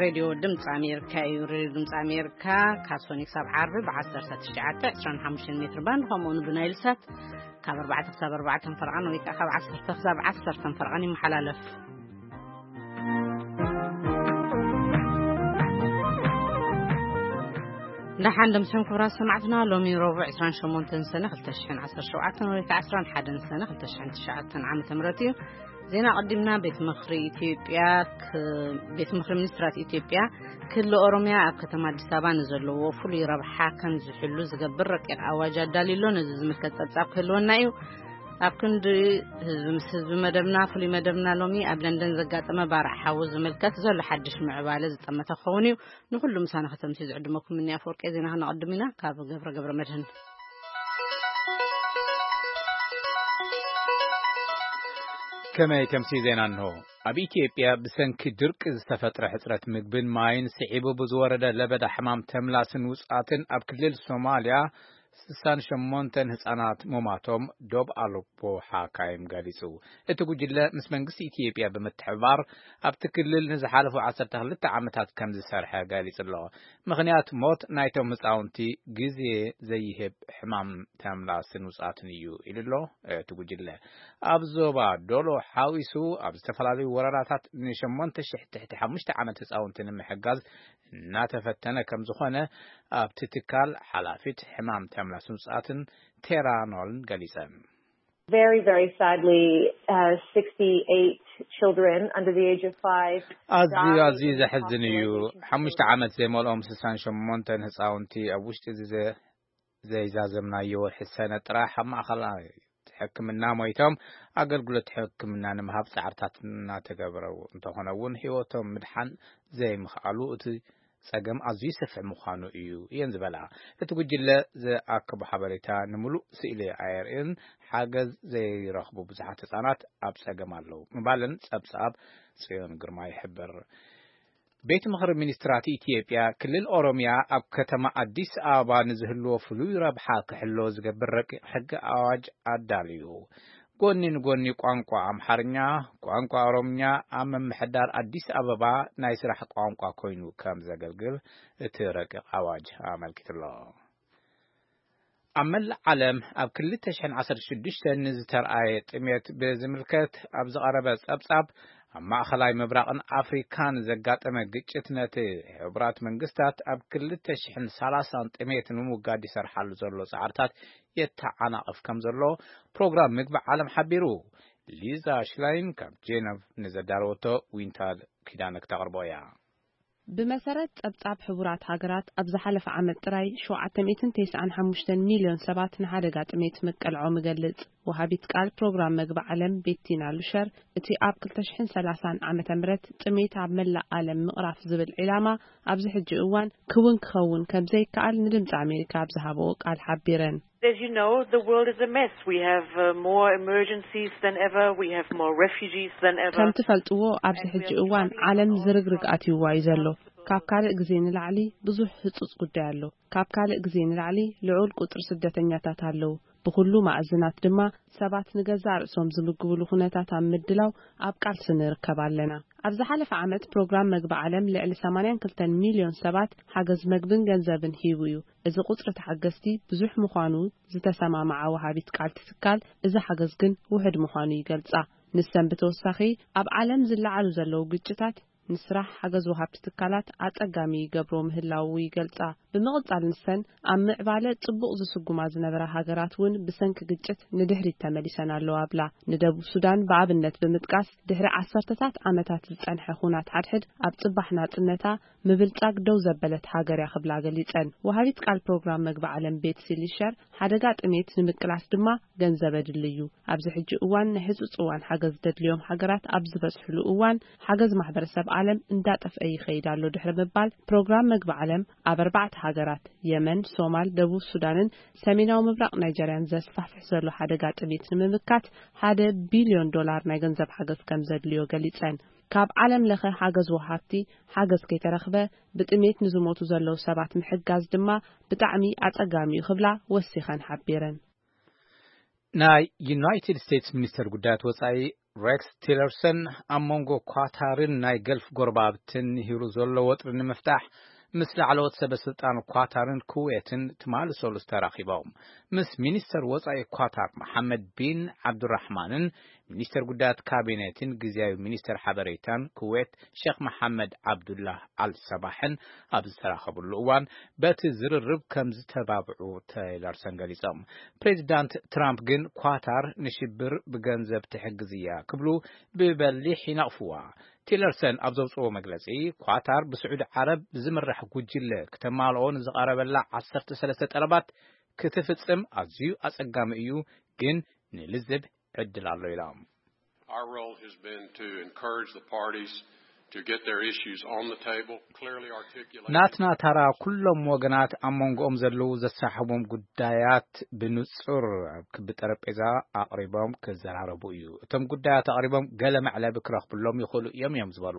ሬድዮ ድምፂ ኣሜሪካ እዩ። ሬድዮ ድምፂ ኣሜሪካ ካብ ሶኒ ክሳብ ዓርቢ ብ1925 ሜትር ባንድ፣ ከምኡ እውን ብናይል ሳት ካብ ኣርባዕተ ክሳብ ኣርባዕተ ፈረቓን ወይ ከዓ ካብ ዓሰርተ ክሳብ ዓሰርተ ፈረቓን ይመሓላለፍ። ደሓን ደምስዮም ክብራት ሰማዕትና፣ ሎሚ ረቡዕ ዕስራን ሸሞንተን ሰነ ክልተ ሽሕን ዓሰርተ ሸውዓተን ወይ ከዓ ዕስራን ሓደን ሰነ ክልተ ሽሕን ትሽዓተን ዓመተ ምህረት እዩ። ዜና ኣቐዲምና። ቤት ምኽሪ ኢትዮጵያ ክ-፣ ቤት ምኽሪ ሚኒስትራት ኢትዮጵያ ክልል ኦሮሚያ ኣብ ከተማ ኣዲስ ኣበባ ንዘለዎ ፍሉይ ረብሓ ከም ዝሕሉ ዝገብር ረቂቕ ኣዋጅ ኣዳልዩ ኣሎ። ነዚ ዝምልከት ጸብጻብ ክህልወና እዩ። ኣብ ክንዲ ህዝቢ ምስ ህዝቢ መደብና፣ ፍሉይ መደብና ሎሚ ኣብ ለንደን ዘጋጠመ ባርዕ ሓዊ ዝምልከት ዘሎ ሓድሽ ምዕባለ ዝጠመተ ክኸውን እዩ። ንኹሉ ምሳና ከተምሲ ዝዕድመኩም እኒ ኣፈወርቂ ዜና ክነቐድም ኢና። ካብ ገብረ ገብረ መድህን። ከመይ ከምሲ ዜና እንሆ። ኣብ ኢትዮጵያ ብሰንኪ ድርቂ ዝተፈጥረ ሕጽረት ምግብን ማይን ስዒቡ ብዝወረደ ለበዳ ሕማም ተምላስን ውጽኣትን ኣብ ክልል ሶማልያ ስሳን ሸሞንተን ህጻናት ሙማቶም ዶብ ኣልቦ ሓካይም ገሊጹ። እቲ ጉጅለ ምስ መንግስቲ ኢትዮጵያ ብምትሕብባር ኣብቲ ክልል ንዝሓለፉ ዓሰርተ ክልተ ዓመታት ከም ዝሰርሐ ገሊጹ ኣሎ። ምኽንያት ሞት ናይቶም ህጻውንቲ ግዜ ዘይህብ ሕማም ተምላስን ውጻትን እዩ ኢሉ ኣሎ። እቲ ጉጅለ ኣብ ዞባ ዶሎ ሓዊሱ ኣብ ዝተፈላለዩ ወረዳታት ንሸሞንተ ሽሕ ትሕቲ ሓሙሽተ ዓመት ህጻውንቲ ንምሕጋዝ እናተፈተነ ከም ዝኾነ ኣብቲ ትካል ሓላፊት ሕማም ተምላስን ውጻትን ቴራ ኖልን ገሊጸን። Very, very sadly, uh, sixty-eight children under the age of five ኣዝዩ died ኣዝዩ in ዘሕዝን እዩ። hospitalizations. ሓሙሽተ ዓመት ዘይመልኦም ስሳን ሸሞንተን ህጻውንቲ ኣብ ውሽጢ እዚ ዘ-፣ ዘይዛዘምናዮ ወርሒ ሰነ ጥራሕ ኣብ ማእኸል ሕክምና ሞይቶም፣ ኣገልግሎት ሕክምና ንምሃብ ጻዕርታት እናተገብረ እንተኾነ እውን ህይወቶም ምድሓን ዘይምኽኣሉ እቲ ጸገም ኣዝዩ ሰፊሕ ምዃኑ እዩ እየን ዝበላ። እቲ ጉጅለ ዝኣከቦ ሓበሬታ ንምሉእ ስእሊ ኣየርእን፣ ሓገዝ ዘይረኽቡ ብዙሓት ህጻናት ኣብ ጸገም ኣለዉ ምባለን ጸብጻብ ጽዮን ግርማ ይሕብር። ቤት ምኽሪ ሚኒስትራት ኢትዮጵያ ክልል ኦሮሚያ ኣብ ከተማ ኣዲስ ኣበባ ንዝህልዎ ፍሉይ ረብሓ ክሕሎ ዝገብር ረቂቕ ሕጊ ኣዋጅ ኣዳልዩ። ጎኒ ንጎኒ ቋንቋ ኣምሓርኛ፣ ቋንቋ ኦሮምኛ ኣብ ምምሕዳር ኣዲስ ኣበባ ናይ ስራሕ ቋንቋ ኮይኑ ከም ዘገልግል እቲ ረቂቕ ኣዋጅ ኣመልኪቱ ኣሎ። ኣብ መላእ ዓለም ኣብ ክልተ ሽሕን ዓሰርተ ሽዱሽተን ንዝተርኣየ ጥሜት ብዝምልከት ኣብ ዝቐረበ ጸብጻብ፣ ኣብ ማእኸላይ ምብራቕን ኣፍሪካን ዘጋጠመ ግጭት ነቲ ሕቡራት መንግስታት ኣብ ክልተ ሽሕን ሰላሳን ጥሜት ንምውጋድ ይሰርሓሉ ዘሎ ጻዕርታት የተዓናቕፍ ከም ዘሎ ፕሮግራም ምግቢ ዓለም ሓቢሩ። ሊዛ ሽላይን ካብ ጄነቭ ንዘዳለወቶ ዊንታል ኪዳነ ክተቕርቦ እያ። ብመሰረት ጸብጻብ ሕቡራት ሃገራት፣ ኣብ ዝሓለፈ ዓመት ጥራይ ሸውዓተ ሚእትን ተስዓን ሓሙሽተን ሚልዮን ሰባት ንሓደጋ ጥሜት ምቅልዖም ይገልጽ። ወሃቢት ቃል ፕሮግራም መግቢ ዓለም ቤቲና ሉሸር፣ እቲ ኣብ ክልተ ሽሕን ሰላሳን ዓመተ ምህረት ጥሜት ኣብ መላእ ዓለም ምቕራፍ ዝብል ዒላማ ኣብዚ ሕጂ እዋን ክውን ክኸውን ከም ዘይከኣል ንድምጺ ኣሜሪካ ኣብ ዝሃበኦ ቃል ሓቢረን። As you know, the world is a mess. We have, uh, more emergencies than ever. We have more refugees than ever. ከም ትፈልጥዎ፣ ኣብዚ ሕጂ እዋን ዓለም ዝርግርግ ኣትይዋ እዩ ዘሎ። ካብ ካልእ ግዜ ንላዕሊ ብዙሕ ህጹጽ ጉዳይ ኣሎ። ካብ ካልእ ግዜ ንላዕሊ ልዑል ቁጽሪ ስደተኛታት ኣለዉ። ብኹሉ ማዕዝናት ድማ ሰባት ንገዛእ ርእሶም ዝምግብሉ ኩነታት ኣብ ምድላው ኣብ ቃልሲ ንርከብ ኣለና። ኣብ ዝሓለፈ ዓመት ፕሮግራም መግቢ ዓለም ልዕሊ ሰማንያን ክልተን ሚልዮን ሰባት ሓገዝ መግብን ገንዘብን ሂቡ እዩ። እዚ ቁጽሪ ተሓገዝቲ ብዙሕ ምዃኑ ዝተሰማምዓ ወሃቢት ቃል ትስካል፣ እዚ ሓገዝ ግን ውሑድ ምዃኑ ይገልጻ። ንሰን ብተወሳኺ ኣብ ዓለም ዝለዓሉ ዘለዉ ግጭታት ንስራሕ ሓገዝ ወሃብቲ ትካላት ኣጸጋሚ ይገብሮ ምህላዉ ይገልጻ። ብምቕጻል ንሰን ኣብ ምዕባለ ጽቡቕ ዝስጉማ ዝነበራ ሃገራት እውን ብሰንኪ ግጭት ንድሕሪት ተመሊሰን ኣለዋ ኣብላ። ንደቡብ ሱዳን ብኣብነት ብምጥቃስ ድሕሪ ዓሰርተታት ዓመታት ዝጸንሐ ኹናት ሓድሕድ ኣብ ጽባሕ ናጽነታ ምብልጻግ ደው ዘበለት ሃገር እያ ክብላ ገሊጸን። ወሃቢት ቃል ፕሮግራም መግቢ ዓለም ቤትሲ ሊሸር፣ ሓደጋ ጥሜት ንምቅላስ ድማ ገንዘብ ኣድሊ እዩ። ኣብዚ ሕጂ እዋን ናይ ህጹጽ እዋን ሓገዝ ዘድልዮም ሃገራት ኣብ ዝበዝሕሉ እዋን፣ ሓገዝ ማሕበረሰብ ዓለም እንዳጠፍአ ይኸይድ ኣሎ ድሕሪ ምባል፣ ፕሮግራም መግቢ ዓለም ኣብ ኣርባዕተ ሃገራት፣ የመን፣ ሶማል፣ ደቡብ ሱዳንን ሰሜናዊ ምብራቕ ናይጀርያን ዘስፋሕፍሕ ዘሎ ሓደጋ ጥሜት ንምምካት ሓደ ቢልዮን ዶላር ናይ ገንዘብ ሓገዝ ከም ዘድልዮ ገሊጸን። ካብ ዓለም ለኸ ሓገዝ ወሃብቲ ሓገዝ ከይተረኽበ፣ ብጥሜት ንዝሞቱ ዘለዉ ሰባት ምሕጋዝ ድማ ብጣዕሚ ኣጸጋሚ እዩ ክብላ ወሲኸን ሓቢረን። ናይ ዩናይትድ ስቴትስ ሚኒስተር ጉዳያት ወጻኢ ሬክስ ቲለርሰን ኣብ መንጎ ኳታርን ናይ ገልፍ ጎረባብትን ንሂሩ ዘሎ ወጥሪ ንምፍታሕ ምስ ላዕለዎት ሰበ ስልጣን ኳታርን ኩዌትን ትማሊ ሰሉስ ተራኺቦም። ምስ ሚኒስተር ወጻኢ ኳታር መሓመድ ቢን ዓብዱራሕማንን ሚኒስተር ጉዳያት ካቢኔትን ግዝያዊ ሚኒስተር ሓበሬታን ኩዌት ሼክ መሓመድ ዓብዱላህ ኣል ሰባሕን ኣብ ዝተራኸብሉ እዋን በቲ ዝርርብ ከም ዝተባብዑ ቲለርሰን ገሊጾም። ፕሬዚዳንት ትራምፕ ግን ኳታር ንሽብር ብገንዘብ ትሕግዝ እያ ክብሉ ብበሊሕ ይነቕፍዋ። ቲለርሰን ኣብ ዘውፅዎ መግለፂ፣ ኳታር ብስዑዲ ዓረብ ብዝምራሕ ጉጅለ ክተማልኦ ንዝቐረበላ ዓሰርተ ሰለስተ ጠለባት ክትፍፅም ኣዝዩ ኣፀጋሚ እዩ፣ ግን ንልዝብ ዕድል ኣሎ ኢሎም። Our role has been to encourage the parties to get their issues on the table, clearly articulate. ናትና ታራ ኩሎም ወገናት ኣብ መንጎኦም ዘለዉ ዘሳሕቦም ጉዳያት ብንጹር ኣብ ክቢ ጠረጴዛ ኣቕሪቦም ክዘራረቡ እዩ። እቶም ጉዳያት ኣቕሪቦም ገለ መዕለቢ ክረኽብሎም ይኽእሉ እዮም እዮም ዝበሉ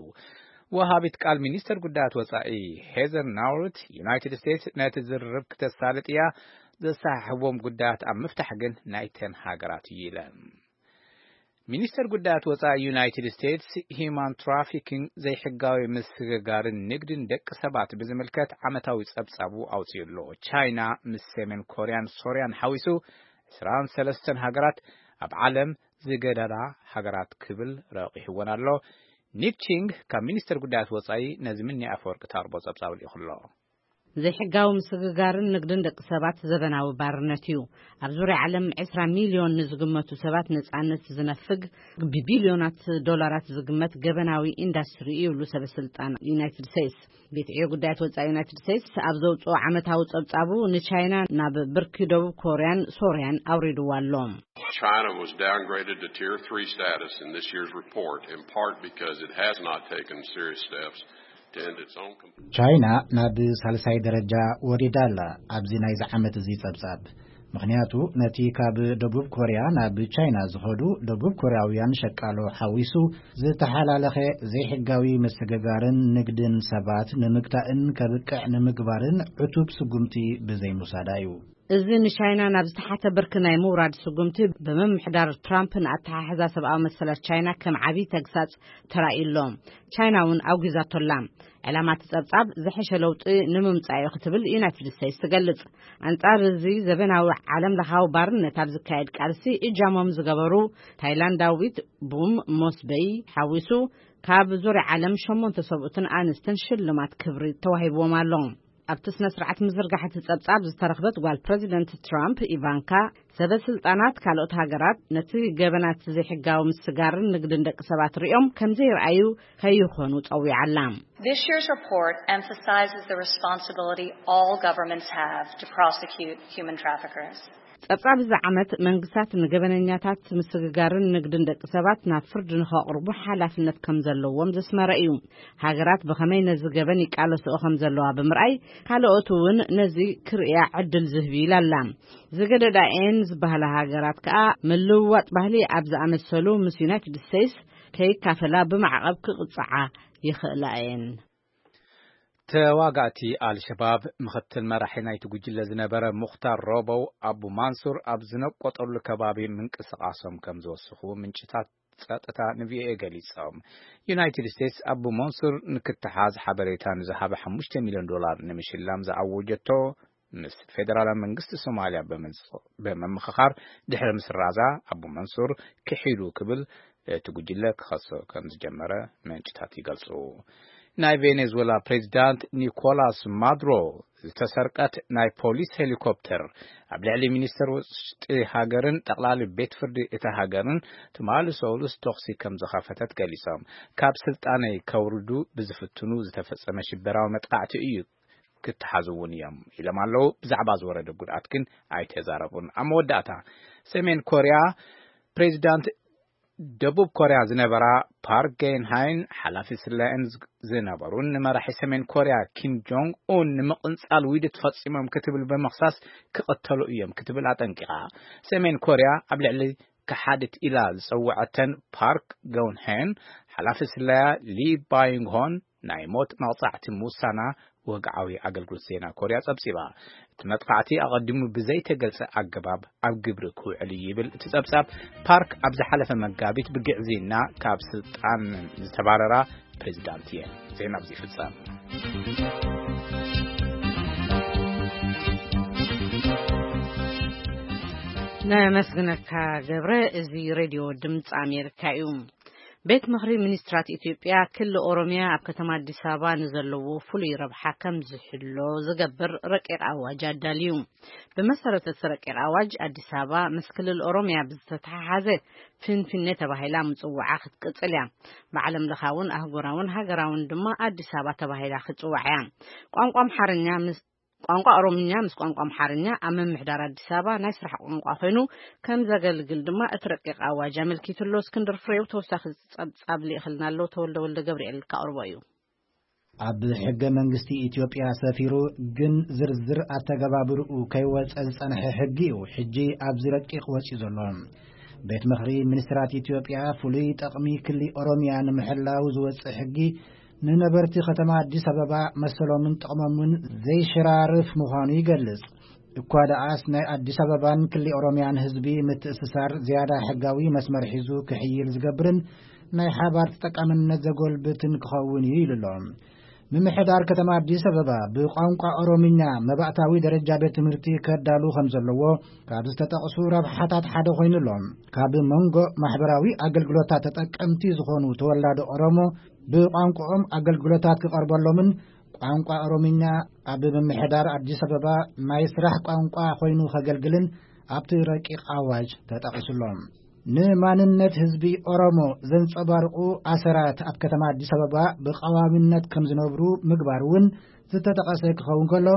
ወሃቢት ቃል ሚኒስተር ጉዳያት ወጻኢ ሄዘር ናውርት፣ ዩናይትድ ስቴትስ ነቲ ዝርርብ ክተሳልጥ እያ፣ ዘሰሓሕቦም ጉዳያት ኣብ ምፍታሕ ግን ናይተን ሃገራት እዩ ኢለን። ሚኒስተር ጉዳያት ወጻኢ ዩናይትድ ስቴትስ ሂማን ትራፊኪንግ ዘይሕጋዊ ምስግጋርን ንግድን ደቂ ሰባት ብዝምልከት ዓመታዊ ጸብጻቡ ኣውጺኡ ኣሎ። ቻይና ምስ ሰሜን ኮርያን ሶርያን ሓዊሱ ዕስራን ሰለስተን ሃገራት ኣብ ዓለም ዝገዳዳ ሃገራት ክብል ረቂሕወን ኣሎ። ኒፕ ቺንግ ካብ ሚኒስተር ጉዳያት ወጻኢ ነዚ ምኒ ኣፈወርቂ ታርቦ ጸብጻብ ልኢኹ ኣሎ። ዘይሕጋዊ ምስግጋርን ንግድን ደቂ ሰባት ዘበናዊ ባርነት እዩ። ኣብ ዙርያ ዓለም ዕስራ ሚልዮን ንዝግመቱ ሰባት ነጻነት ዝነፍግ ብቢልዮናት ዶላራት ዝግመት ገበናዊ ኢንዳስትሪ እዩ ይብሉ ሰበ ስልጣን ዩናይትድ ስቴትስ። ቤት ዕዮ ጉዳያት ወጻኢ ዩናይትድ ስቴትስ ኣብ ዘውጽኦ ዓመታዊ ጸብጻቡ ንቻይና ናብ ብርኪ ደቡብ ኮርያን ሶርያን ኣውሪድዋ ኣሎ። China was downgraded to tier three status in this year's report, in part because it has not taken serious steps to end its own. ቻይና ናብ ሳልሳይ ደረጃ ወሪዳ ኣላ ኣብዚ ናይዚ ዓመት እዚ ጸብጻብ። ምኽንያቱ ነቲ ካብ ደቡብ ኮርያ ናብ ቻይና ዝኸዱ ደቡብ ኮርያውያን ሸቃሎ ሓዊሱ ዝተሓላለኸ ዘይሕጋዊ ምስግጋርን ንግድን ሰባት ንምግታእን ከብቅዕ ንምግባርን ዕቱብ ስጉምቲ ብዘይምውሳዳ እዩ። እዚ ንቻይና ናብ ዝተሓተ ብርኪ ናይ ምውራድ ስጉምቲ ብምምሕዳር ትራምፕ ንኣተሓሕዛ ሰብኣዊ መሰላት ቻይና ከም ዓብዪ ተግሳጽ ተራእዩ ኣሎ። ቻይና እውን ኣውጊዛቶ ኣላ። ዕላማ እቲ ጸብጻብ ዝሐሸ ለውጢ ንምምጻእ እዩ ክትብል ዩናይትድ ስቴትስ ትገልጽ። ኣንጻር እዚ ዘበናዊ ዓለም ለኻዊ ባርነት ኣብ ዝካየድ ቃልሲ እጃሞም ዝገበሩ ታይላንዳዊት ቡም ሞስበይ ሓዊሱ ካብ ዙርያ ዓለም ሸሞንተ ሰብኡትን ኣንስትን ሽልማት ክብሪ ተዋሂብዎም ኣሎ። ኣብቲ ስነ ስርዓት ምዝርጋሕ እቲ ጸብጻብ ዝተረኽበት ጓል ፕረዚደንት ትራምፕ ኢቫንካ ሰበ ስልጣናት ካልኦት ሃገራት ነቲ ገበናት ዘይሕጋዊ ምስጋርን ንግድን ደቂ ሰባት ሪኦም ከም ዘይረኣዩ ከይኾኑ ጸዊዓ ኣላ። This year's report emphasizes the responsibility all governments have to prosecute human traffickers. ጸብጻብ እዚ ዓመት መንግስታት ንገበነኛታት ምስግጋርን ንግድን ደቂ ሰባት ናብ ፍርዲ ንኸቕርቡ ሓላፍነት ከም ዘለዎም ዘስመረ እዩ። ሃገራት ብኸመይ ነዚ ገበን ይቃለስኦ ከም ዘለዋ ብምርኣይ ካልኦት እውን ነዚ ክርእያ ዕድል ዝህብ እዩ ኢላ ኣላ። ዝገደዳ እየን ዝበሃላ ሃገራት ከኣ ምልውዋጥ ባህሊ ኣብ ዝኣመሰሉ ምስ ዩናይትድ ስቴትስ ከይካፈላ ብማዕቐብ ክቕጽዓ ይኽእላ እየን። ተዋጋእቲ ኣልሸባብ ምኽትል መራሒ ናይቲ ጉጅለ ዝነበረ ሙኽታር ሮቦው ኣቡ ማንሱር ኣብ ዝነቆጠሉ ከባቢ ምንቅስቓሶም ከም ዝወስኹ ምንጭታት ጸጥታ ንቪኦኤ ገሊጾም። ዩናይትድ ስቴትስ ኣቡ መንሱር ንክተሓዝ ሓበሬታ ንዝሃበ ሓሙሽተ ሚልዮን ዶላር ንምሽላም ዝኣወጀቶ ምስ ፌደራላዊ መንግስቲ ሶማልያ ብምምኽኻር ድሕሪ ምስራዛ ኣቡ መንሱር ክሒዱ ክብል እቲ ጉጅለ ክኸሶ ከም ዝጀመረ ምንጭታት ይገልጹ። ናይ ቬኔዙዌላ ፕሬዚዳንት ኒኮላስ ማዱሮ ዝተሰርቀት ናይ ፖሊስ ሄሊኮፕተር ኣብ ልዕሊ ሚኒስተር ውሽጢ ሃገርን ጠቕላሊ ቤት ፍርዲ እታ ሃገርን ትማሊ ሰሉስ ተኹሲ ከም ዝኸፈተት ገሊጾም። ካብ ስልጣነይ ከውርዱ ብዝፍትኑ ዝተፈጸመ ሽበራዊ መጥቃዕቲ እዩ ክተሓዙ እውን እዮም ኢሎም ኣለዉ። ብዛዕባ ዝወረደ ጉድኣት ግን ኣይተዛረቡን። ኣብ መወዳእታ ሰሜን ኮርያ ፕሬዚዳንት ደቡብ ኮርያ ዝነበራ ፓርክ ጌንሃይን ሓላፊ ስለየን ዝነበሩን ንመራሒ ሰሜን ኮርያ ኪም ጆንግ ኡን ንምቕንጻል ውድት ፈጺሞም ክትብል ብምኽሳስ ክቕተሉ እዮም ክትብል ኣጠንቂቓ። ሰሜን ኮርያ ኣብ ልዕሊ ከሓድት ኢላ ዝጸውዐተን ፓርክ ገውንሄን ሓላፊ ስለያ ሊ ባዩንግሆን ናይ ሞት መቕጻዕቲ ምውሳና ወግዓዊ ኣገልግሎት ዜና ኮርያ ጸብጺባ። እቲ መጥቃዕቲ ኣቐዲሙ ብዘይተገልጸ ኣገባብ ኣብ ግብሪ ክውዕል እዩ ይብል እቲ ጸብጻብ። ፓርክ ኣብ ዝሓለፈ መጋቢት ብግዕዝይና ካብ ስልጣን ዝተባረራ ፕሬዚዳንት እየን። ዜና ኣብዚ ይፍጸም። ነመስግነካ ገብረ። እዚ ሬድዮ ድምፂ ኣሜሪካ እዩ። ቤት ምኽሪ ሚኒስትራት ኢትዮጵያ ክሊ ኦሮሚያ ኣብ ከተማ ኣዲስ ኣበባ ንዘለዎ ፍሉይ ረብሓ ከም ዝሕሎ ዝገብር ረቂቕ ኣዋጅ ኣዳልዩ። ብመሰረት እቲ ረቂቕ ኣዋጅ ኣዲስ ኣበባ ምስ ክልል ኦሮሚያ ብዝተተሓሓዘ ፊንፊኔ ተባሂላ ምጽዋዓ ክትቅጽል እያ። ብዓለም ለኻውን ኣህጉራውን ሃገራውን ድማ ኣዲስ ኣበባ ተባሂላ ክትጽዋዕ እያ። ቋንቋ ኣምሓርኛ ምስ ቋንቋ ኦሮምኛ ምስ ቋንቋ ኣምሓርኛ ኣብ ምምሕዳር ኣዲስ ኣበባ ናይ ስራሕ ቋንቋ ኮይኑ ከም ዘገልግል ድማ እቲ ረቂቕ ኣዋጅ ኣመልኪቱ ኣሎ። እስክንድር ፍሬው ተወሳኺ ጸብጻብ ልኢኽልና ኣሎ። ተወልደ ወልደ ገብርኤል ካቕርቦ እዩ። ኣብ ሕገ መንግስቲ ኢትዮጵያ ሰፊሩ ግን ዝርዝር ኣተገባብርኡ ከይወጸ ዝጸንሐ ሕጊ እዩ ሕጂ ኣብዚ ረቂቕ ወጺኡ ዘሎ። ቤት ምኽሪ ሚኒስትራት ኢትዮጵያ ፍሉይ ጠቕሚ ክሊ ኦሮሚያ ንምሕላው ዝወጽእ ሕጊ ንነበርቲ ከተማ ኣዲስ ኣበባ መሰሎምን ጥቕሞምን ዘይሽራርፍ ምዃኑ ይገልጽ። እኳ ደኣስ ናይ ኣዲስ ኣበባን ክሊ ኦሮሚያን ህዝቢ ምትእስሳር ዝያዳ ሕጋዊ መስመር ሒዙ ክሕይል ዝገብርን ናይ ሓባር ተጠቃምነት ዘጎልብትን ክኸውን እዩ ኢሉ ኣሎ። ምምሕዳር ከተማ ኣዲስ ኣበባ ብቋንቋ ኦሮምኛ መባእታዊ ደረጃ ቤት ትምህርቲ ከዳሉ ከም ዘለዎ ካብ ዝተጠቕሱ ረብሓታት ሓደ ኮይኑ ኣሎ። ካብ መንጎ ማሕበራዊ ኣገልግሎታት ተጠቀምቲ ዝኾኑ ተወላዶ ኦሮሞ ብቋንቋኦም ኣገልግሎታት ክቐርበሎምን ቋንቋ ኦሮምኛ ኣብ ምምሕዳር ኣዲስ ኣበባ ናይ ስራሕ ቋንቋ ኮይኑ ከገልግልን ኣብቲ ረቂቕ ኣዋጅ ተጠቒሱ ኣሎ። ንማንነት ህዝቢ ኦሮሞ ዘንጸባርቑ ኣሰራት ኣብ ከተማ ኣዲስ ኣበባ ብቐዋሚነት ከም ዝነብሩ ምግባር እውን ዝተጠቐሰ ክኸውን ከሎ፣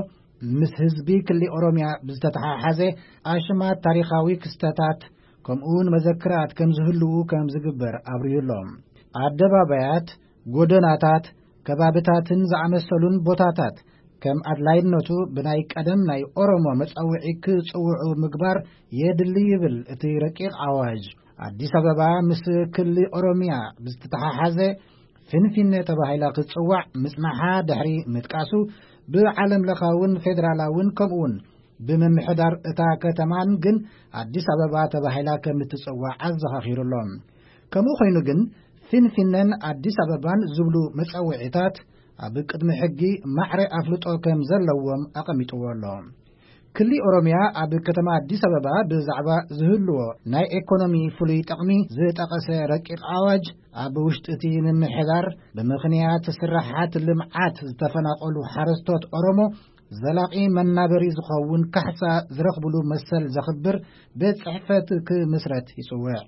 ምስ ህዝቢ ክሊ ኦሮሚያ ብዝተተሓሓዘ ኣሽማት ታሪኻዊ ክስተታት ከምኡውን መዘክራት ከም ዝህልዉ ከም ዝግበር ኣብርዩ ኣሎ። ኣደባባያት፣ ጎደናታት፣ ከባብታትን ዝኣመሰሉን ቦታታት ከም ኣድላይነቱ ብናይ ቀደም ናይ ኦሮሞ መጸውዒ ክጽውዑ ምግባር የድሊ ይብል እቲ ረቂቕ ኣዋጅ። ኣዲስ ኣበባ ምስ ክሊ ኦሮሚያ ብዝተተሓሓዘ ፊንፊኔ ተባሂላ ክትጽዋዕ ምጽናሓ ድሕሪ ምጥቃሱ፣ ብዓለም ለኻውን ፌደራላውን ከምኡውን ብምምሕዳር እታ ከተማን ግን ኣዲስ ኣበባ ተባሂላ ከም እትጽዋዕ ኣዘኻኺሩ ኣሎ። ከምኡ ኮይኑ ግን ፊንፊነን ኣዲስ ኣበባን ዝብሉ መጸውዒታት ኣብ ቅድሚ ሕጊ ማዕረ ኣፍልጦ ከም ዘለዎም ኣቐሚጥዎ ኣሎ። ክሊ ኦሮሚያ ኣብ ከተማ ኣዲስ ኣበባ ብዛዕባ ዝህልዎ ናይ ኤኮኖሚ ፍሉይ ጥቕሚ ዝጠቐሰ ረቂቕ ኣዋጅ፣ ኣብ ውሽጢ እቲ ምምሕዳር ብምኽንያት ስራሓት ልምዓት ዝተፈናቐሉ ሓረስቶት ኦሮሞ ዘላቒ መናበሪ ዝኸውን ካሕሳ ዝረኽብሉ መሰል ዘኽብር ቤት ጽሕፈት ክምስረት ይጽውዕ።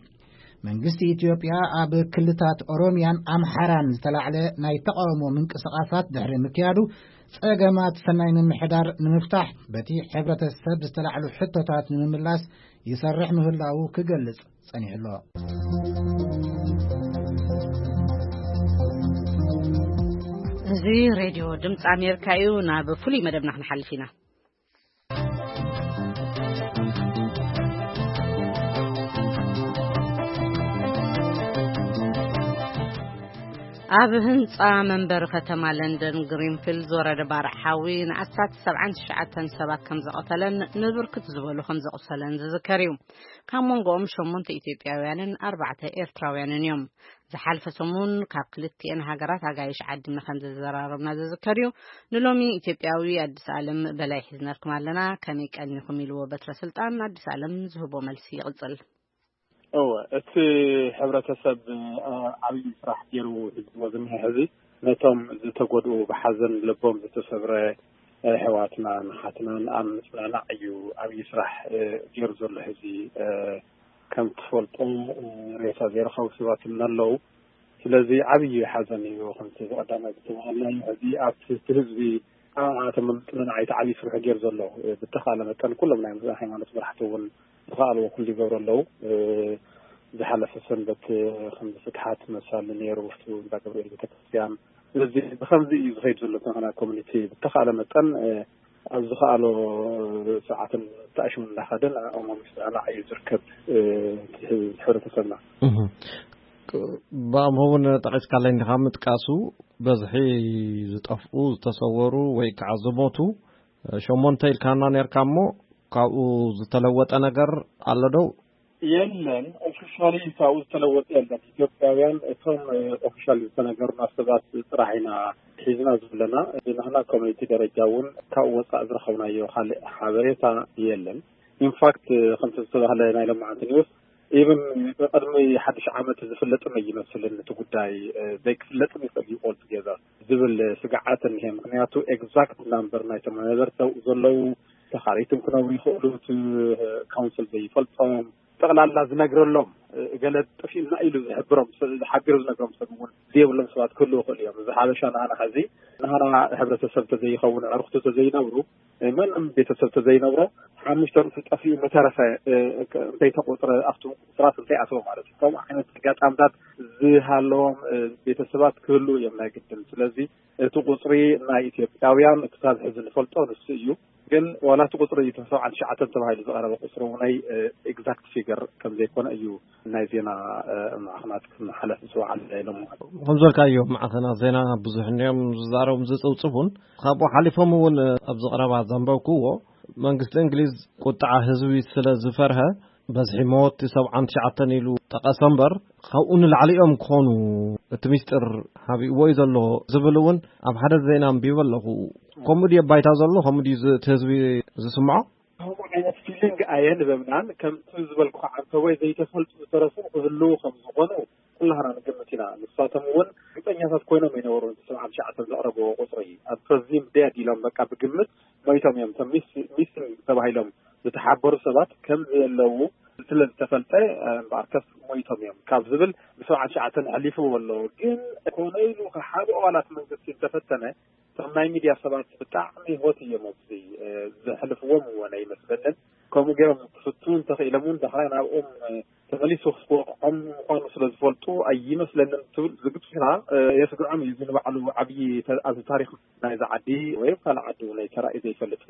መንግስቲ ኢትዮጵያ ኣብ ክልታት ኦሮሚያን ኣምሓራን ዝተላዕለ ናይ ተቓውሞ ምንቅስቓሳት ድሕሪ ምክያዱ፣ ጸገማት ሰናይ ምምሕዳር ንምፍታሕ በቲ ሕብረተሰብ ዝተላዕሉ ሕቶታት ንምምላስ ይሰርሕ ምህላዉ ክገልጽ ጸኒሑ ኣሎ። እዚ ሬድዮ ድምፂ ኣሜሪካ እዩ። ናብ ፍሉይ መደብና ክንሓልፍ ኢና። ኣብ ህንጻ መንበሪ ከተማ ለንደን ግሪንፊልድ ዝወረደ ባርዕ ሓዊ ንኣስታት ሰብዓን ትሽዓተን ሰባት ከም ዘቐተለን ንብርክት ዝበሉ ከም ዘቑሰለን ዝዝከር እዩ። ካብ መንጎኦም ሸሞንተ ኢትዮጵያውያንን ኣርባዕተ ኤርትራውያንን እዮም። ዝሓልፈ ሰሙን ካብ ክልቲኤን ሃገራት ኣጋይሽ ዓዲና ከም ዘዘራረብና ዝዝከር እዩ። ንሎሚ ኢትዮጵያዊ ኣዲስ ኣለም በላይ ሒዝነልኩም ኣለና። ከመይ ቀኒኹም ኢልዎ በትረ ስልጣን ኣዲስ ኣለም ዝህቦ መልሲ ይቕጽል። እወ፣ እቲ ሕብረተሰብ፣ እ፣ ዓብዪ ስራሕ ገይሩ ሒዝዎ ዝኒሀ ሕዚ ነቶም ዝተጎድኡ፣ ብሓዘን ልቦም ዝተሰብረ፣ እ፣ ኣሕዋትናን ኣሓትናን ኣብ ምጽንናዕ እዩ ዓብዪ ስራሕ፣ እ፣ ገይሩ ዘሎ። ሕዚ፣ እ፣ ከም ትፈልጦ፣ እ፣ ሬሳ ዘይረኸቡ ሰባት እውን ኣለዉ። ስለዚ ዓብዪ ሓዘን እዩ። ከምቲ ብቐዳማይ ዝተባሃልናዮ፣ ሕዚ ኣብቲ፣ እቲ ህዝቢ ኣቶም ምጽንናዕ እቲ ዓብዪ ስርሑ ገይሩ ዘሎ፣ እ፣ ብተኻእለ መጠን ኩሎም ናይ ሃይማኖት መራሕቲ እውን ዝኸኣልዎ ኩሉ ይገብሩ ኣለዉ። እ፣ ዝሓለፈ ሰንበት፣ እ፣ ከም ፍትሓት መሳሊ ነይሩ፣ ውሽጡ እንዳ ገብርኤል ቤተክርስትያን። ስለዚ ብኸምዚ እዩ ዝኸይድ ዘሎ። እቲ ናይ ኮሚኒቲ ብተኻእለ መጠን፣ እ፣ ኣብ ዝኸኣሎ ሰዓትን ተኣሽሙ እንዳኸደ ንዕኦም ኣብ ምጽንናዕ እዩ ዝርከብ፣ እ፣ እቲ ሕብረተሰብና። እህ። ብኣምሆ እውን ጠቒስካለይ እንዲኻ ምጥቃሱ፣ በዝሒ ዝጠፍኡ ዝተሰወሩ ወይ ከዓ ዝሞቱ ሸሞንተ ኢልካና ነርካ እሞ፣ ካብኡ ዝተለወጠ ነገር ኣሎ ዶ? የለን። ኦፊሻሊ ካብኡ ዝተለወጠ የለን። ኢትዮጵያውያን እቶም ኦፊሻሊ ዝተነገሩና ሰባት ጥራሕ ኢና ሒዝና ዘለና። ብናህና ኮሚኒቲ ደረጃ እውን ካብኡ ወፃእ ዝረኸብናዮ ካልእ ሓበሬታ የለን። ኢንፋክት ከምቲ ዝተባህለ ናይ ለማዓንቲ ኒውስ ኢብን ብቅድሚ ሓድሽ ዓመት ዝፍለጥም ኣይመስልን። እቲ ጉዳይ ዘይክፍለጥም ይኽእል እዩ ኦል ቱጌዘር ዝብል ስግዓት እኒሀ። ምክንያቱ ኤግዛክት ናምበር ናይቶም ነበርቲ ኣብኡ ዘለዉ ተኻሪትም ክነብሩ ይኽእሉ። እቲ ካውንስል ዘይፈልጦም ጠቕላላ ዝነግረሎም ገለ ጥፊእና ኢሉ ዝሕብሮም ዝሓብር ዝነግሮም ሰብ እውን ዘይብሎም ሰባት ክህልዉ ይኽእሉ እዮም። እዚ ሓበሻ ንሃና ሕዚ ንሃና ሕብረተሰብ ተዘይኸውን ዕርክቱ ተዘይነብሩ ምንም ቤተሰብ ተዘይነብሮ ሓሙሽተ ርእሲ ጠፊኡ መተረፈ እንተይተቆፅረ ኣብቲ ስራት እንተይኣተወ ማለት እዩ። ከምኡ ዓይነት ኣጋጣምታት ዝሃለዎም ቤተሰባት ክህልዉ እዮም ናይ ግድን። ስለዚ እቲ ቁፅሪ ናይ ኢትዮጵያውያን ክሳብ ሕዚ ንፈልጦ ንሱ እዩ። ግን ዋላ እቲ ቁፅሪ ተሰብዓን ትሽዓተን ተባሂሉ ዝቐረበ ቁፅሪ እውነይ ኤግዛክት ፊገር ከም ዘይኮነ እዩ ናይ ዜና ማዕኸናት ክመሓለፍ ዝወዓለ ኢሎም። ከም ዝበልካዮ ማዕኸናት ዜና ብዙሕ እንዲኦም ዝዛረቡን ዝፅብፅቡን። ካብኡ ሓሊፎም እውን ኣብዚ ቀረባ ዘንበብክዎ መንግስቲ እንግሊዝ ቁጥዓ ህዝቢ ስለ ዝፈርሀ በዝሒ መወቲ ሰብዓን ትሽዓተን ኢሉ ጠቐሰ እምበር ካብኡ ንላዕሊ እዮም ክኾኑ እቲ ሚስጥር ሓቢእዎ እዩ ዘሎ ዝብል እውን ኣብ ሓደ ዜና ኣንቢበ ኣለኹ። ከምኡ ድየ ባይታ ዘሎ? ከምኡ ድዩ ዝ- እቲ ህዝቢ ዝስምዖ? ከምኡ ዓይነት ፊሊንግ ኣየንበብናን ከምቲ ዝበልኩ ዓንተቦይ ዘይተፈልጡ ዝተረፉ ክህልዉ ከም ዝኾኑ ኩላህና ንግምት ኢና። ንሳቶም እውን ግጠኛታት ኮይኖም ኣይነበሩን። እቲ ሰብዓን ትሽዓተን ዘቕረብዎ ቁፅሪ ኣብ ፈዚም ደድ ኢሎም በቃ ብግምት ሞይቶም እዮም። እቶም ሚስ ሚስን ተባሂሎም ዝተሓበሩ ሰባት ከም ዘየለዉ ስለ ዝተፈልጠ እምበኣርከስ ሞይቶም እዮም ካብ ዝብል ብሰብዓን ትሽዓተን ኣሕሊፍዎ ኣሎ። ግን ኮነ ኢሉ ካብ ሓደ ኣባላት መንግስቲ እንተፈተነ እቶም ናይ ሚድያ ሰባት ብጣዕሚ ሆት እዮም ኣብዚ ዘሕልፍዎም እውን ኣይመስለንን። ከምኡ ገይሮም ክፍትኑ እንተኽኢሎም እውን ዳሕራይ ናብኦም ተመሊሱ ክወቕዖም ምዃኑ ስለ ዝፈልጡ ኣይመስለንን ትብል ዝግፅና የስግዖም እዩ። እዚ ንባዕሉ ዓብዪ ኣብዚ ታሪክ ናይዚ ዓዲ ወይ ካልእ ዓዲ እውን ተራእዩ ዘይፈልጥ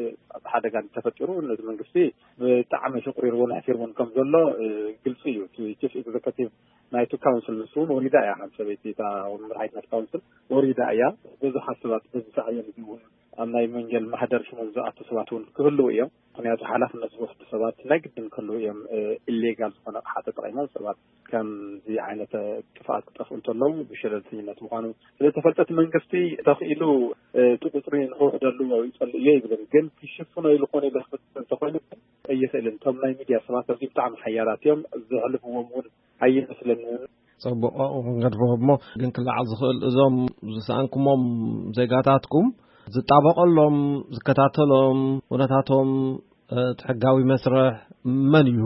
ሓደጋ እንተፈጢሩ ነዚ መንግስቲ ብጣዕሚ ሽቁሪርዎን ኣሕፊርዎን ከም ዘሎ ግልፂ እዩ። እቲ ቺፍ ኤግዘከቲቭ ናይቲ ካውንስል ንሱ እውን ወሪዳ እያ። ሓንቲ ሰበይቲ እታ መራሒት ናይቲ ካውንስል ወሪዳ እያ። ብዙሓት ሰባት በዚ ሳዕቤን እዚ እውን ኣብ ናይ መንጀል ማህደር ሽሞም ዝኣቱ ሰባት እውን ክህልዉ እዮም። ምክንያቱ ሓላፍነት ዝወስዱ ሰባት ናይ ግድን ክህልዉ እዮም። ኢሌጋል ዝኾነ ኣቕሓ ተጠቒሞም ሰባት ከምዚ ዓይነት ጥፍኣት ክጠፍኡ እንተለዉ ብሸለልተኝነት ምዃኑ ስለዝተፈልጠ እቲ መንግስቲ ተኽኢሉ እቲ ቁፅሪ ንክውሕደሉ ይፀልእ እየ ይብልን ግን ክሽፍኖ ኢሉ ኮነ ኢሉ ክፍፅም እንተኮይኑ ኣይኽእልን። እቶም ናይ ሚድያ ሰባት ኣብዚ ብጣዕሚ ሓያላት እዮም። ዘሕልፍዎም እውን ኣይመስለንን። ፅቡቕ ኣብኡ ክንገድፎ እሞ ግን ክለዓል ዝኽእል እዞም ዝሰኣንኩሞም ዜጋታትኩም ዝጣበቐሎም ዝከታተሎም ኩነታቶም እቲ ሕጋዊ መስርሕ መን እዩ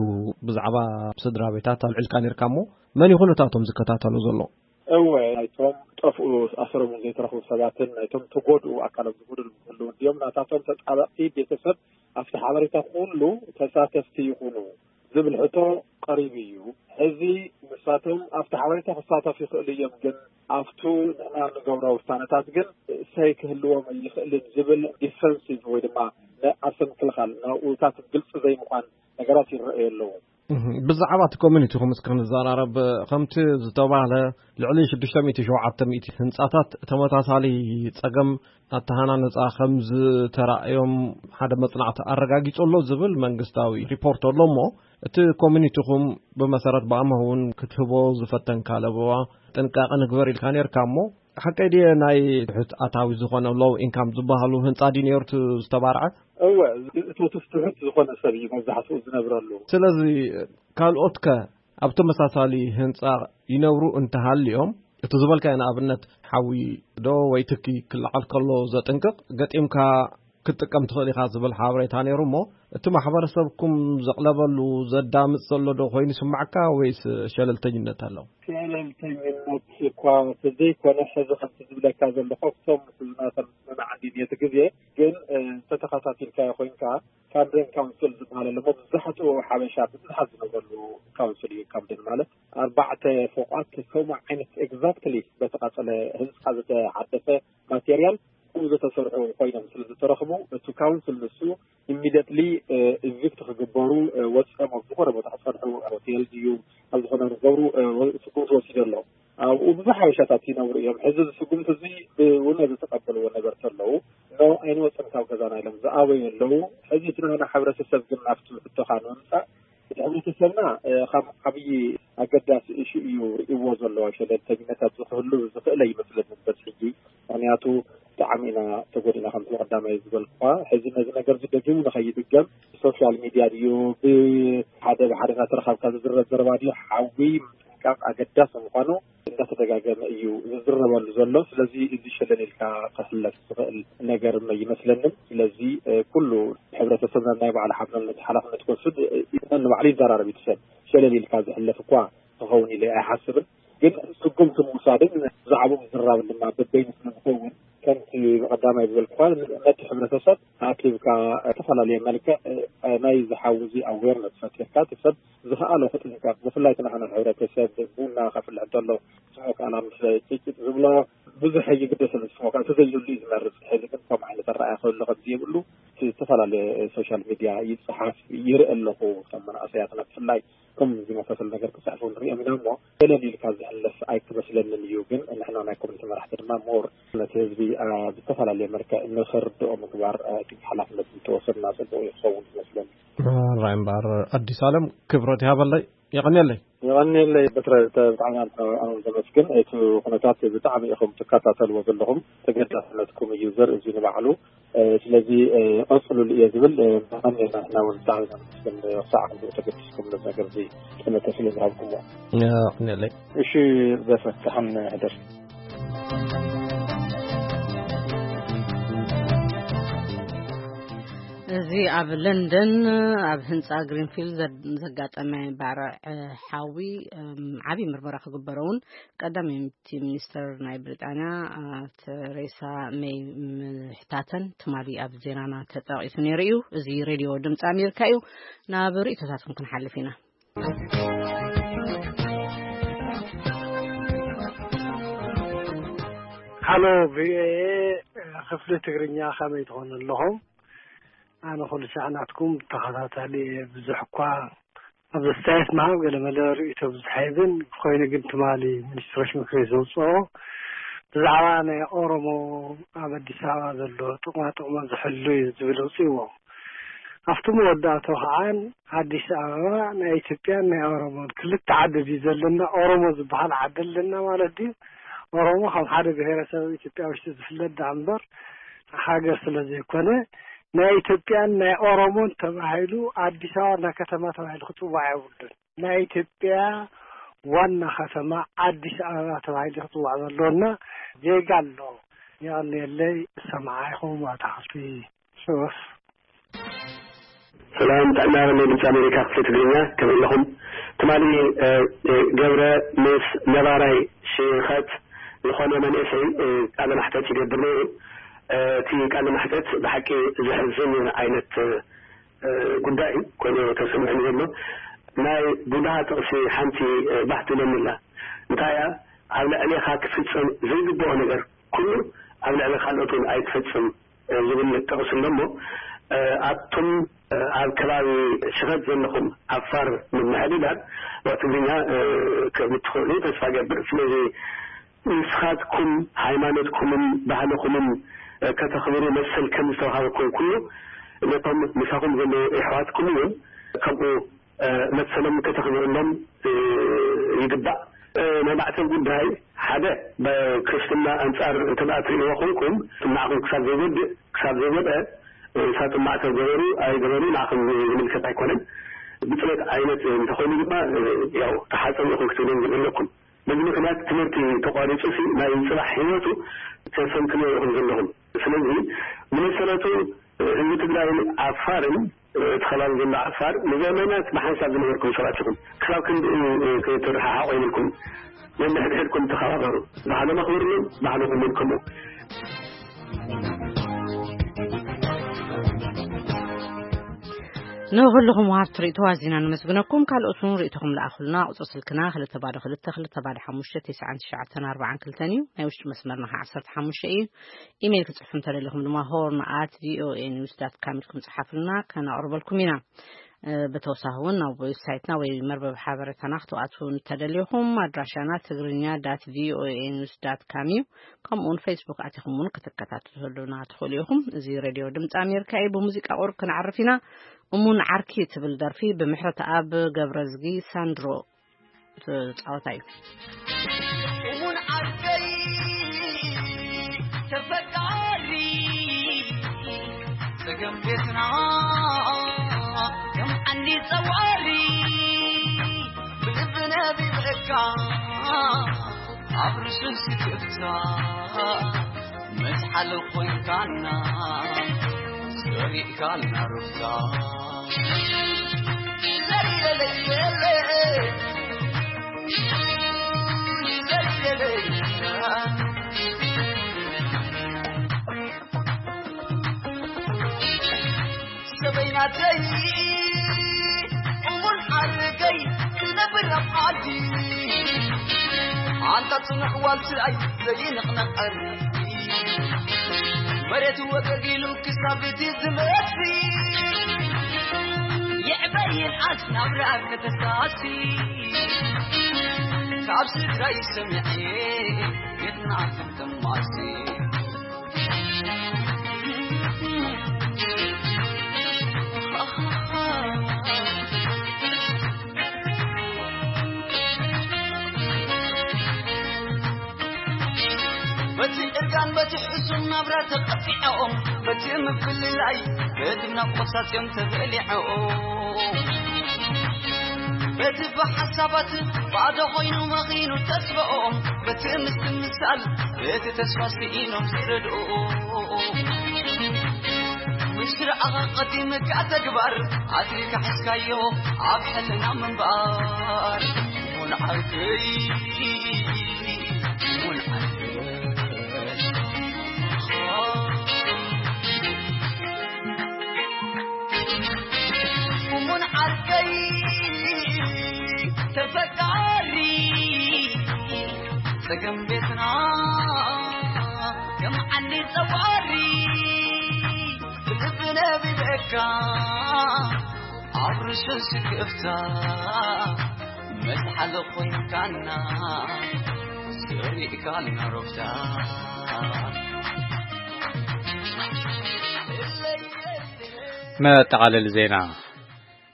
ብዛዕባ ስድራ ቤታት ኣልዒልካ ነርካ እሞ መን እዩ ኩነታቶም ዝከታተሎ ዘሎ? እወ ናይቶም ጠፍኡ ኣሰሮም ዘይተረኽቡ ሰባትን ናይቶም ተጎድኡ ኣካሎም ዝጎደሉ ክህልዉ እንዲዮም ናታቶም ተጣበቕቲ ቤተሰብ ኣብቲ ሓበሬታ ኩሉ ተሳተፍቲ ይኹኑ ዝብል ሕቶ ቀሪቡ እዩ። ሕዚ ንሳቶም ኣብቲ ሓበሬታ ክሳተፉ ይኽእሉ እዮም ግን ኣብቱ ንሕና ንገብሮ ውሳነታት ግን ሰይ ክህልዎም ኣይኽእልን ዝብል ዲፈንሲቭ ወይ ድማ ንዓርሰ ምክልኻል ናብኡታት ግልፂ ዘይምዃን ነገራት ይረኣዩ ኣለዉ። ብዛዕባ እቲ ኮሚኒቲኹም እስኪ ክንዘራረብ። ከምቲ ዝተባህለ ልዕሊ ሽዱሽተ ሚእቲ ሸውዓተ ሚእቲ ህንፃታት ተመሳሳሊ ፀገም ኣተሃናነፃ ከም ዝተራእዮም ሓደ መፅናዕቲ ኣረጋጊፁ ኣሎ ዝብል መንግስታዊ ሪፖርት ኣሎ እሞ እቲ ኮሚኒቲኹም ብመሰረት ብኣምሆ እውን ክትህቦ ዝፈተንካ ለበዋ ጥንቃቐ ንግበር ኢልካ ነርካ እሞ ሓቀይ ድየ ናይ ትሑት ኣታዊ ዝኾነ ሎው ኢንካም ዝበሃሉ ህንፃ ድዩ ነይሩ እቲ ዝተባርዐ? እወ፣ እቲ ትሑት ዝኾነ ሰብ እዩ መብዛሕትኡ ዝነብረሉ። ስለዚ ካልኦት ከ ኣብ ተመሳሳሊ ህንፃ ይነብሩ እንተሃልዮም እቲ ዝበልካዮ ንኣብነት ሓዊ ዶ ወይ ትኪ ክለዓል ከሎ ዘጥንቅቕ ገጢምካ ክትጥቀም ትኽእል ኢኻ ዝብል ሓበሬታ ነይሩ እሞ እቲ ማሕበረሰብኩም ዘቕለበሉ ዘዳምፅ ዘሎ ዶ ኮይኑ ይስማዓካ ወይስ ሸለልተኝነት ኣሎ? ሸለልተኝነት እኳ ተዘይኮነ ሕዚ ከምቲ ዝብለካ ዘለኹ እቶም ምስናተን ምስምማዕ ድልየት ግዜ ግን እንተተኸታቲልካዮ ኮይንካ ካምደን ካውንስል ዝበሃል ኣለሞ ብዛሕትኡ ሓበሻ ብብዝሓት ዝነብረሉ ካውንስል እዩ። ካምደን ማለት ኣርባዕተ ፎቋት ከምኡ ዓይነት ኤግዛክትሊ በተቃጸለ ህንፃ ዝተሓደሰ ማቴሪያል ከምኡ ዝተሰርሑ ኮይኖም ስለ ዝተረኽቡ እቲ ካውንስል ንሱ ኢሚደትሊ ኢቪክት ክግበሩ ወፂኦም ኣብ ዝኾነ ቦታ ክፀንሑ ሆቴል ድዩ ኣብ ዝኾነ ክገብሩ ስጉምቲ ወሲዱ ኣሎ። ሓበሻታት ይነብሩ እዮም። ሕዚ እዚ ስጉምቲ እዚ ብውነ ዝተቐበልዎ ነበርቲ ኣለዉ። ኖ፣ ኣይንወፅን ካብ ገዛና ኢሎም ዝኣበዩ ኣለዉ። ሕዚ እቲ ናህና ሕብረተሰብ ግን ናብቲ ሕቶኻ ንምምፃእ፣ እቲ ሕብረተሰብና ካብ ዓብዪ ኣገዳሲ እሹ እዩ ርእይዎ ዘሎ። ሸለልተኝነት ኣብዚ ክህሉ ዝኽእል ኣይመስለንን በዚ ሕጂ። ምኽንያቱ ብጣዕሚ ኢና ተጎዲና፣ ከምቲ ቀዳማይ ዝበልኩኻ። ሕዚ ነዚ ነገር እዚ ደጊሙ ንኸይድገም ሶሻል ሚድያ ድዩ፣ ብሓደ ብሓደ እናተረኻብካ ዝዝረብ ዘረባ ድዩ፣ ሓዊ ምጥንቃቕ ኣገዳሲ ምዃኑ እንዳተደጋገመ እዩ ዝዝረበሉ ዘሎ። ስለዚ እዚ ሸለል ኢልካ ክሕለፍ ዝኽእል ነገር ኣይመስለንን። ስለዚ ኩሉ ሕብረተሰብና ናይ ባዕሉ ሓላፍነት ክወስድ ንባዕሉ ይዘራረብ። እቲ ሰብ ሸለል ኢልካ ዝሕለፍ እኳ ክኸውን ኢለ ኣይሓስብን። ግን ስጉምቲ ምውሳድን ብዛዕባኡ ምዝራብን ድማ በበይኑ ስለ ዝኸውን፣ ከምቲ ብቐዳማይ ዝበልኩኻ፣ ነቲ ሕብረተሰብ ኣኪብካ ዝተፈላለየ መልክዕ ናይ ዝሓውዚ ኣዌርነት ፈጢርካ፣ እቲ ሰብ ዝኸኣሎ ክጥንቀቕ፣ ብፍላይ እቲ ናህና ሕብረተሰብ ቡና ከፍልሕ እንተሎ ስሞክ ኣላ ምስ ጭጭጥ ዝብሎ ብዙሕ ይግደሰሉ። ስሞክ እንተዘይህሉ እዩ ዝመርጽ። ሕዚ ግን ከም ዓይነት ኣረኣያ ክህሉ ከም ዘይብሉ እቲ ዝተፈላለየ ሶሻል ሚድያ ይጽሓፍ፣ ይርኢ ኣለኹ። ከም መናእሰያትና ብፍላይ ከም ዝመሳሰል ነገር ክጽሕፉ ንሪኦም ኢና እሞ፣ ገለል ኢልካ ዝሕለፍ ኣይክመስለንን እዩ። ግን ንሕና ናይ ኮሚኒቲ መራሕቲ ድማ ሞር ነቲ ህዝቢ ብዝተፈላለየ መልክዕ ንኽርድኦ ምግባር እቲ ሓላፍነት እንተወሰድና ጽቡቕ ይኸውን ይመስለኒ። ራይ እምበኣር ኣዲስ ኣለም ክብረት ይሃበለይ። የቐንየለይ። የቐንየለይ በትረ፣ ብጣዕሚ ኣነ ዘመስግን። እቲ ኩነታት ብጣዕሚ ኢኹም ትከታተልዎ ዘለኹም፣ ተገዳስነትኩም እዩ ዘርኢ እዚ ንባዕሉ። ስለዚ ቀፅሉሉ እየ ዝብል። ንሕና እውን ብጣዕሚ ኢና ነመስግን ክሳዕ ክንድኡ ተገዲስኩም ነዚ ነገር እዚ ጠመተ ስለ ዝሃብኩምዎ። የቐንየለይ። እሺ በፈ፣ ደሓን ሕደር። እዚ ኣብ ለንደን ኣብ ህንፃ ግሪንፊልድ ዘጋጠመ ባርዕ ሓዊ ዓብዪ ምርመራ ክግበሮ እውን ቀዳመይቲ ሚኒስተር ናይ ብሪጣንያ ተሬሳ ሜይ ምሕታተን ትማሊ ኣብ ዜናና ተጠቒሱ ነይሩ እዩ። እዚ ሬድዮ ድምፂ ኣሜሪካ እዩ። ናብ ርእይቶታትኩም ክንሓልፍ ኢና። ሃሎ ቪኦኤ ክፍሊ ትግርኛ፣ ከመይ ትኾኑ ኣለኹም? ኣነ ኩሉ ሳዕ ናትኩም ተኸታታሊ እየ። ብዙሕ እኳ ኣብዚ ኣስተያየት ምሃብ ገለ መለ ርእይቶ ብዙሕ ኣይብን። ኮይኑ ግን ትማሊ ሚኒስትሮች ምክር ቤት ዘውፅኦ ብዛዕባ ናይ ኦሮሞ ኣብ ኣዲስ ኣበባ ዘሎ ጥቕማ ጥቕሞም ዝሕሉ እዩ ዝብል ኣውፅእዎ። ኣብቲ መወዳእቶ ከዓን ኣዲስ ኣበባ ናይ ኢትዮጵያን ናይ ኦሮሞን ክልተ ዓዲ ድዩ ዘለና? ኦሮሞ ዝበሃል ዓዲ ኣለና ማለት ድዩ? ኦሮሞ ከም ሓደ ብሄረሰብ ኣብ ኢትዮጵያ ውሽጢ ዝፍለጥ ደኣ እምበር ሃገር ስለ ዘይኮነ ናይ ኢትዮጵያን ናይ ኦሮሞን ተባሂሉ ኣዲስ ኣበባ ዋና ከተማ ተባሂሉ ክፅዋዕ የብሉን። ናይ ኢትዮጵያ ዋና ከተማ ኣዲስ ኣበባ ተባሂሉ ክፅዋዕ ዘለዎና ዜጋ ኣሎ። የቐንየለይ። ሰማዓ ኢኹም ኣታኽልቲ ሽወፍ። ሰላም ጥዕና ናይ ድምፂ ኣሜሪካ ክፍሊ ትግርኛ ከመይ ኣለኹም? ትማሊ ገብረ ምስ ነባራይ ሽኸት ዝኾነ መንእሰይ ቃለ ማሕተት ይገብር ነይሩ። እቲ ቃለ ማሕተት ብሓቂ ዘሕዝን ዓይነት ጉዳይ ኮይኑ ተሰሚዑ ዘሎ። ናይ ቡድሃ ጥቕሲ ሓንቲ ባህ ትብለኒ ኣላ። እንታይ እያ? ኣብ ልዕሌኻ ክፍጸም ዘይግብኦ ነገር ኩሉ ኣብ ልዕሊ ካልኦት እውን ኣይትፈጽም ዝብል ጥቕሲ ኣሎ እሞ ኣቱም ኣብ ከባቢ ሽኸት ዘለኹም ዓፋር ምምሕድዳር ትግርኛ ከም እትኽእሉ ተስፋ እገብር። ስለዚ ንስኻትኩም ሃይማኖትኩምን ባህልኹምን ከተኽብሩ መሰል ከም ዝተዋሃበኩም ኩሉ ነቶም ምሳኹም ዘለዉ የሕዋትኩም እውን ከምኡ መሰሎም ከተኽብርሎም ይግባእ። ናይ ማዕተብ ጉዳይ ሓደ ብክርስትና ኣንፃር እንተ ደኣ ትርእይዎ ኮንኩም ንዓኹም ክሳብ ዘይጎድእ ክሳብ ዘይጎድአ ሳጥን ማዕተብ ገበሩ ኣይገበሩ ንዓኹም ዝምልከት ኣይኮነን። ብፅሬት ዓይነት እንተኾይኑ ድማ ያው ተሓፀቡ ኢኹም ክትብሎም ዘለኩም። በዚ ምኽንያት ትምህርቲ ተቋሪፁ ሲ ናይ ፅባሕ ህይወቱ ተሰንክልዎ ኢኹም ዘለኹም። ስለዚ ብመሰረቱ ህዝቢ ትግራይን ዓፋርን እቲ ከባቢ ዘሎ ዓፋር ንዘመናት ብሓንሳብ ዝነበርኩም ሰባት ኢኹም። ክሳብ ክንድኡ ክትረሓሓቑ የብልኩም። ነንሕድሕድኩም ተኸባበሩ። ባህሎም ኣኽብርሎም፣ ባህልኹም እውን ከምኡ። ንኹልኹም ወሃብቲ ርእይቶ ኣዚና ነመስግነኩም። ካልኦት እውን ርእይቶኹም ለኣኹልና። ቁጽሪ ስልክና ክልተ ባዶ ክልተ ክልተ ባዶ ሓሙሽተ ተስዓን ትሽዓተን ኣርባዓን ክልተን እዩ። ናይ ውሽጢ መስመርና ከዓ ዓሰርተ ሓሙሽተ እዩ። ኢሜይል ክጽሕፉ እንተደሊኹም ድማ ሆርን ኣት ቪኦኤ ኒውስ ዳት ካም ኢልኩም ጽሓፉልና፣ ከነቕርበልኩም ኢና። ብተወሳኺ እውን ናብ ዌብሳይትና ወይ መርበብ ሓበሬታና ክትኣትዉ እንተደሊኹም፣ ኣድራሻና ትግርኛ ዳት ቪኦኤ ኒውስ ዳት ካም እዩ። ከምኡውን ፌስቡክ ኣቲኹም እውን ክትከታተሉና ትኽእሉ ኢኹም። እዚ ሬድዮ ድምፂ ኣሜሪካ እዩ። ብሙዚቃ ቁሩብ ክንዓርፍ ኢና። እሙን ዓርኪ ትብል ደርፊ ብምሕረተኣብ ገብረዝጊ ሳንድሮ ዝፃወታ እዩ። እሙን ዓርከይ ተፈቃሪ፣ ጸገም ቤትና ከም ዓንዲ ጸዋሪ፣ ብልቢ ነቢበካ ኣብ ርሱን ስክፍታ መዝሓል ኮይንካና፣ ሰሪእካልና ሩፍታ። ሰበይናተይ እሙን ዓርከይ ክነብር ኣብ ዓዲ፣ ኣንታ ጽኑሕ ዋልስኣይ ዘይንቕነቐር፣ መሬት ወገግ ኢሉ ክሳብ እቲ ዝመሲ፣ ይዕበ ይንኣስ ናብራ ከተሳሲ፣ ካብ ስድራይ ሰሚዐ ቤትና ከም ተማሲ። በቲ ዕርቃን በቲ ሕሱም ናብራ ተቐጢዐኦም፣ በቲ ምፍልላይ በቲ ናፍቆት ሳጽዮም ተበሊዐኦም፣ በቲ ብሓሳባት ባዶ ኮይኑ መኺኑ ተስፋኦም፣ በቲ ምስትምሳል በቲ ተስፋ ስኢኖም ዝረድኡ፣ ምስ ረኣኻ ቀዲምካ ተግባር ኣትሪካ ሒዝካዮ ኣብ ሕልና ምንባር። እሙን ዓርከይ፣ እሙን ዓርከይ። እሙን ዓርከይ ተፈቃሪ፣ ጸገም ቤትና ከም ዓንዲ ጸዋሪ፣ ብልቢ ነቢበካ ኣብ ርሱን ስክፍታ፣ መዝሓል ኮይንካና፣ ሰሪእካልና ሩፍታ። መጠቓለሊ ዜና።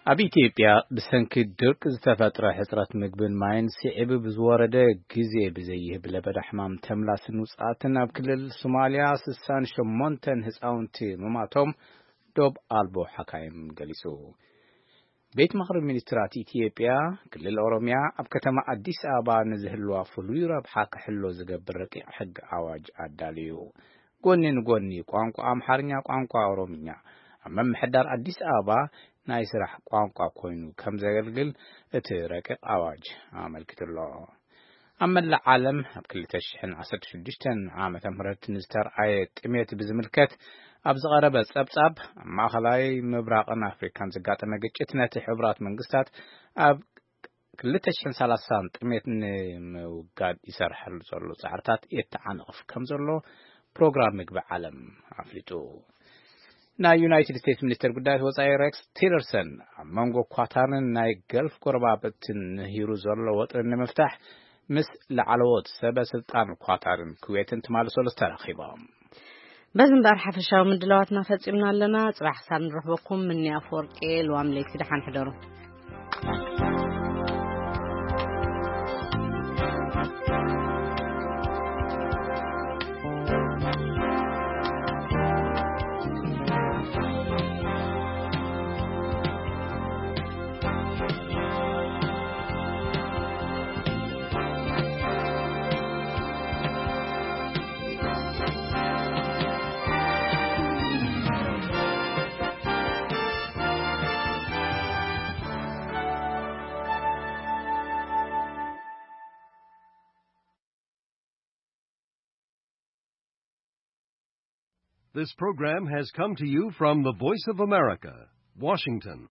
ኣብ ኢትዮጵያ ብሰንኪ ድርቂ ዝተፈጥረ ሕጽረት ምግብን ማይን ስዒቡ ብዝወረደ ግዜ ብዘይህብ ለበዳ ሕማም ተምላስን ውጽኣትን ኣብ ክልል ሶማልያ ስሳን ሸሞንተን ህጻውንቲ ምማቶም ዶብ ኣልቦ ሓካይም ገሊጹ። ቤት ምኽሪ ሚኒስትራት ኢትዮጵያ ክልል ኦሮሚያ ኣብ ከተማ ኣዲስ ኣበባ ንዝህልዋ ፍሉይ ረብሓ ክሕሎ ዝገብር ረቂቕ ሕጊ ኣዋጅ ኣዳልዩ። ጎኒ ንጎኒ ቋንቋ ኣምሓርኛ ቋንቋ ኦሮምኛ ኣብ ምምሕዳር ኣዲስ ኣበባ ናይ ስራሕ ቋንቋ ኮይኑ ከም ዘገልግል እቲ ረቂቕ ኣዋጅ ኣመልኪቱ ኣሎ። ኣብ መላእ ዓለም ኣብ ክልተ ሽሕን ዓሰርተ ሽዱሽተን ዓመተ ምህረት ንዝተርኣየ ጥሜት ብዝምልከት ኣብ ዝቐረበ ጸብጻብ ኣብ ማእኸላይ ምብራቕን ኣፍሪካን ዝጋጠመ ግጭት ነቲ ሕቡራት መንግስታት ኣብ ክልተ ሽሕን ሰላሳን ጥሜት ንምውጋድ ይሰርሐሉ ዘሎ ጻዕርታት የተዓንቕፍ ከም ዘሎ ፕሮግራም ምግቢ ዓለም ኣፍሊጡ። ናይ ዩናይትድ ስቴትስ ሚኒስትር ጉዳያት ወጻኢ ሬክስ ቲለርሰን ኣብ መንጎ ኳታርን ናይ ገልፍ ጎረባብትን ንሂሩ ዘሎ ወጥሪ ንምፍታሕ ምስ ላዕለዎት ሰበ ስልጣን ኳታርን ኩዌትን ትማሊ ሰሉስ ተራኺቦም። በዚ እምበኣር ሓፈሻዊ ምድላዋትና ፈጺምና ኣለና። ጽባሕ ክሳብ ንረኽበኩም ምኒ ኣፈወርቂ ልዋም ለይቲ ደሓን ሕደሩ። This program has come to you from the Voice of America, Washington.